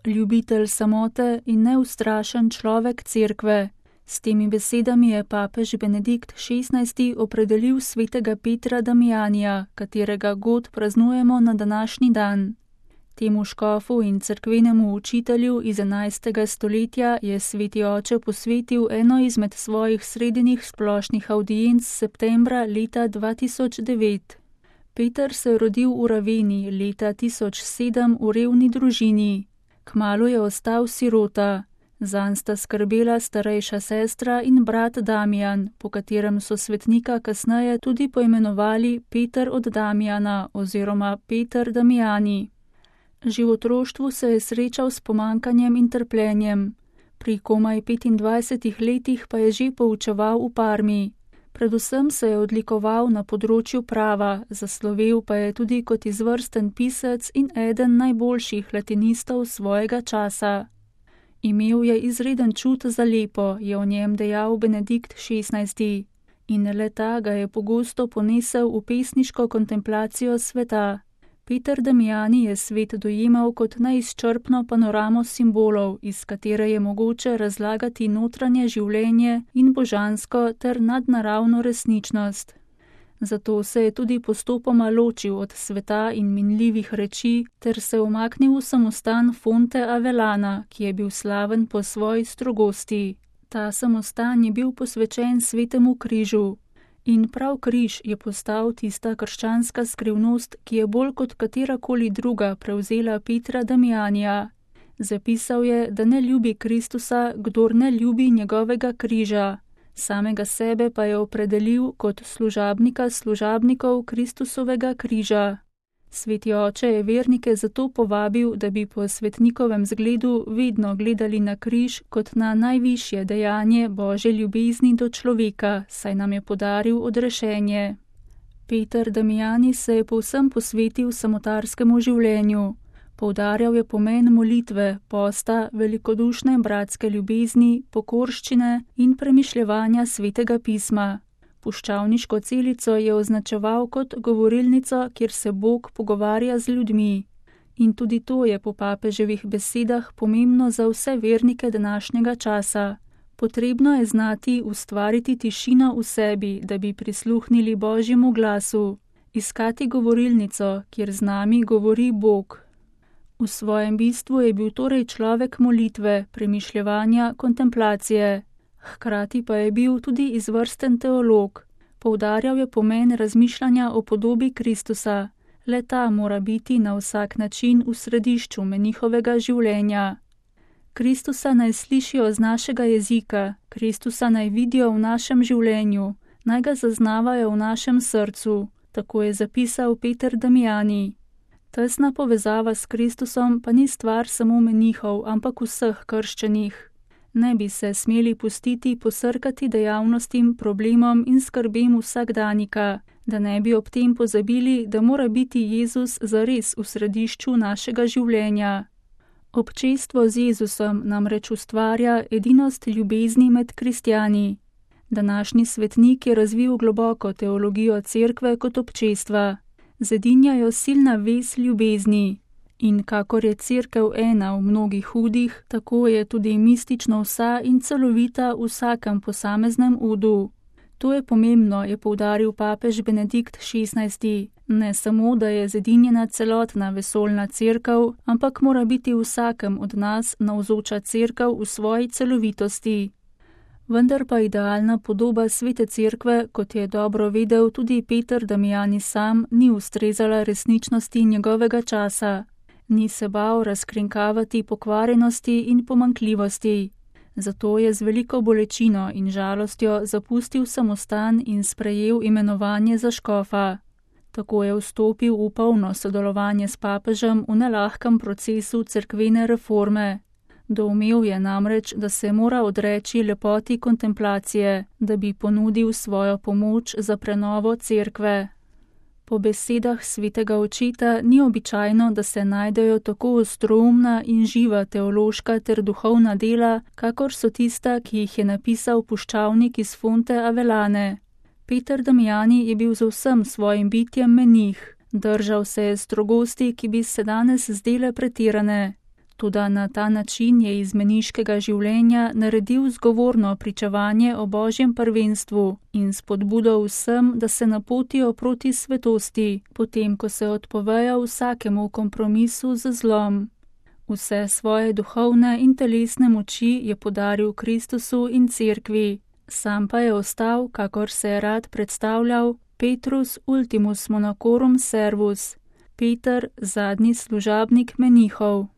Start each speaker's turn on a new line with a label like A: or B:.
A: ljubitelj samote in neustrašen človek cerkve. S temi besedami je papež Benedikt XVI. Opredelil svetega Petra Damijanija, katerega god praznujemo na današnji dan. Temu škofu in cerkvenemu učitelju iz 11. stoletja je sveti oče posvetil eno izmed svojih sredinih splošnih avdienc septembra leta 2009. Peter se je rodil v Raveni leta 1007 v revni družini. Kmalu je ostal sirota. Zanj sta skrbela starejša sestra in brat Damijan, po katerem so svetnika kasneje tudi poimenovali Peter od Damijana oziroma Peter Damijani. Že v otroštvu se je srečal s pomankanjem in trpljenjem. Pri komaj 25 letih pa je že poučeval v Parmi. Predvsem se je odlikoval na področju prava, zaslovel pa je tudi kot izvrsten pisec in eden najboljših latinistov svojega časa. Imel je izreden čut za lepo, je o njem dejal Benedikt XVI. In le ta ga je pogosto ponesel v pesniško kontemplacijo sveta. Peter Damijani je svet dojemal kot neizčrpno panoramo simbolov, iz katere je mogoče razlagati notranje življenje in božansko ter nadnaravno resničnost. Zato se je tudi postopoma ločil od sveta in minljivih reči ter se umaknil v samostan Fonte Avellana, ki je bil slaven po svoji strogosti. Ta samostan je bil posvečen svetemu križu. In prav križ je postal tista krščanska skrivnost, ki je bolj kot katerakoli druga prevzela Petra Damijanija. Zapisal je, da ne ljubi Kristusa, kdor ne ljubi njegovega križa. Samega sebe pa je opredelil kot služabnika služabnikov Kristusovega križa. Sveti oče je vernike zato povabil, da bi po svetnikovem zgledu vedno gledali na križ kot na najvišje dejanje Božje ljubezni do človeka, saj nam je podaril odrešenje. Peter Damijani se je povsem posvetil samotarskemu življenju. Poudarjal je pomen molitve, posta, velikodušne bratske ljubezni, pokorščine in premišljevanja svetega pisma. Puščavniško celico je označeval kot govorilnico, kjer se Bog pogovarja z ljudmi. In tudi to je po papeževih besedah pomembno za vse vernike današnjega časa. Potrebno je znati ustvariti tišino v sebi, da bi prisluhnili Božjemu glasu. Iskati govorilnico, kjer z nami govori Bog. V svojem bistvu je bil torej človek molitve, premišljevanja, kontemplacije. Hkrati pa je bil tudi izvrsten teolog. Poudarjal je pomen razmišljanja o podobi Kristusa. Le ta mora biti na vsak način v središču menihovega življenja. Kristusa naj slišijo z našega jezika, Kristusa naj vidijo v našem življenju, naj ga zaznavajo v našem srcu, tako je zapisal Peter Damijani. Tesna povezava s Kristusom pa ni stvar samo menihov, ampak vseh krščenih. Ne bi se smeli pustiti posrkati dejavnostim, problemom in skrbem vsakdanika, da ne bi ob tem pozabili, da mora biti Jezus zares v središču našega življenja. Občestvo z Jezusom namreč ustvarja edinost ljubezni med kristjani. Današnji svetnik je razvil globoko teologijo cerkve kot občestva. Zedinjajo silna vez ljubezni. In kakor je cerkev ena v mnogih hudih, tako je tudi mistično vsa in celovita v vsakem posameznem udu. To je pomembno, je poudaril papež Benedikt XVI. Ne samo, da je zedinjena celotna vesoljna cerkev, ampak mora biti vsakem od nas navzoča cerkev v svoji celovitosti. Vendar pa idealna podoba svete cerkve, kot je dobro vedel tudi Peter Damijani sam, ni ustrezala resničnosti njegovega časa. Ni se bal razkrinkavati pokvarjenosti in pomanjkljivosti. Zato je z veliko bolečino in žalostjo zapustil samostan in sprejel imenovanje za škofa. Tako je vstopil v polno sodelovanje s papežem v nelahkem procesu cerkvene reforme. Doumel je namreč, da se mora odreči lepoti kontemplacije, da bi ponudil svojo pomoč za prenovo cerkve. Po besedah svetega očeta ni običajno, da se najdejo tako ostroumna in živa teološka ter duhovna dela, kakor so tista, ki jih je napisal puščavnik iz Fonte Avellane. Peter Damijani je bil z vsem svojim bitjem menih. Držal se je strogosti, ki bi se danes zdele pretirane. Toda na ta način je iz meniškega življenja naredil zgovorno pričevanje o Božjem prvenstvu in spodbudo vsem, da se napotijo proti svetosti, potem ko se odpovejo vsakemu kompromisu z zlom. Vse svoje duhovne in telesne moči je podaril Kristusu in cerkvi, sam pa je ostal, kakor se je rad predstavljal, Petrus ultimus monachorum servus, Peter, zadnji služabnik menihov.